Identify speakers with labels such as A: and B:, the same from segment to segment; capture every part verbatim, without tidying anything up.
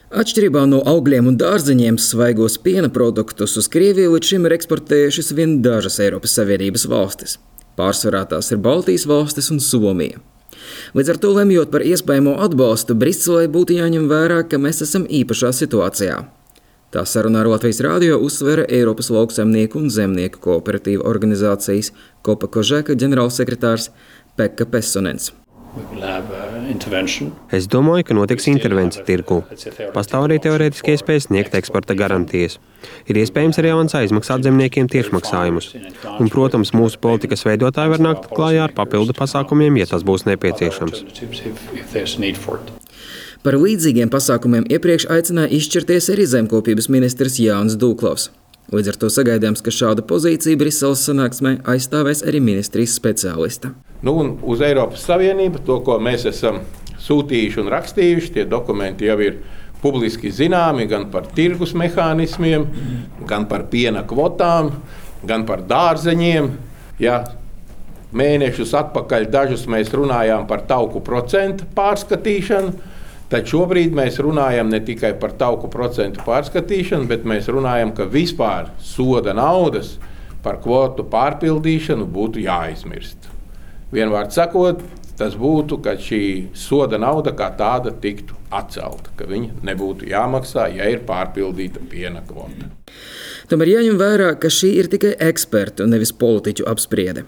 A: Atšķirībā no augļiem un dārzeņiem, svaigos piena produktus uz Krieviju līdz šim ir eksportējušas vien dažas Eiropas Savienības valstis. Pārsvarā tās ir Baltijas valstis un Somija. Līdz ar to lemjot par iespējamo atbalstu, Briselei būtu jāņem vērā, ka mēs esam īpašā situācijā. Tā sarunā ar Latvijas rādio uzsvera Eiropas lauksaimnieku un zemnieku kooperatīva organizācijas Kopa Kožeka ģenerālsekretārs Pekka Pessonens.
B: Es domāju, ka notiks intervence tirgu. Pastāv arī teorētiski iespēja sniegt eksporta garantijas. Ir iespējams arī avansā izmaksāt zemniekiem tiešmaksājumus. Un, protams, mūsu politikas veidotāji var nākt klājā ar papildu pasākumiem, ja tas būs nepieciešams.
A: Par līdzīgiem pasākumiem iepriekš aicināja izšķirties arī zemkopības ministrs Jānis Dūklavs. Līdz ar to sagaidāms, ka šāda pozīcija Briseles sanāksmē aizstāvēs arī ministrijas speciālista.
C: Nu, un uz Eiropas Savienību to, ko mēs esam sūtījuši un rakstījuši, tie dokumenti jau ir publiski zināmi gan par tirgus mehānismiem, gan par piena kvotām, gan par dārzeņiem. Ja mēnešus atpakaļ dažus mēs runājām par tauku procentu pārskatīšanu, tad šobrīd mēs runājam ne tikai par tauku procentu pārskatīšanu, bet mēs runājam, ka vispār soda naudas par kvotu pārpildīšanu būtu jāizmirst. Vienvārds sakot, tas būtu, ka šī soda nauda kā tāda tiktu atcelta, ka viņa nebūtu jāmaksā, ja ir pārpildīta piena kvota.
A: Tomēr jāņem vērā, ka šī ir tikai ekspertu, nevis politiķu apspriede.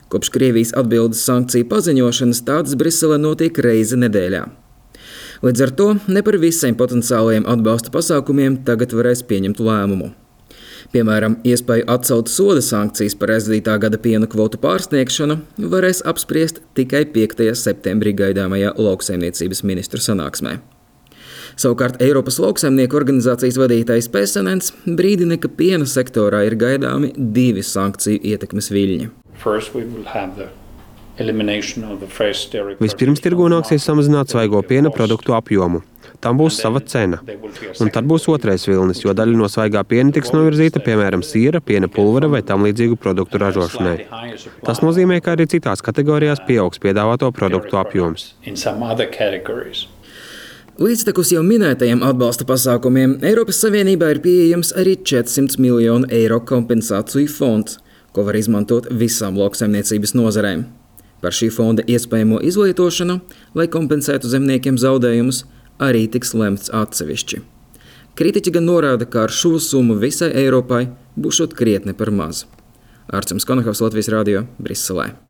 A: Kopš Krievijas atbildes sankciju paziņošanas tādas Briselē notiek reizi nedēļā. Līdz ar to ne par visiem potenciālajiem atbalsta pasākumiem tagad varēs pieņemt lēmumu. Piemēram, iespēju atcelt soda sankcijas par aizdītā gada piena kvotu pārsniegšanu varēs apspriest tikai piektajā septembrī gaidāmajā lauksaimniecības ministru sanāksmē. Savukārt Eiropas lauksaimnieku organizācijas vadītājs Pessonens brīdina, ka piena sektorā ir gaidāmi divi sankciju ietekmes viļņi.
B: Vispirms tirgū nāksies samazināt svaigo piena produktu apjomu. Tam būs sava cena. Un tad būs otrais vilnis, jo daļa no svaigā piena tiks novirzīta, piemēram, siera, piena pulvera vai tam līdzīgu produktu ražošanai. Tas nozīmē, ka arī citās kategorijās pieaugs piedāvāto produktu apjoms.
A: Līdztekus jau minētajiem atbalsta pasākumiem Eiropas Savienībā ir pieejams arī četrsimt miljonu eiro kompensāciju fonds, ko var izmantot visām lauksaimniecības nozarēm. Par šī fonda iespējamo izlietošanu, lai kompensētu zemniekiem zaudējumus, arī tiks lemts atsevišķi. Kritiķi gan norāda, ka ar šo summu visai Eiropai būšot krietni par maz. Ārcums Konakovs, Latvijas rādio, Briselē.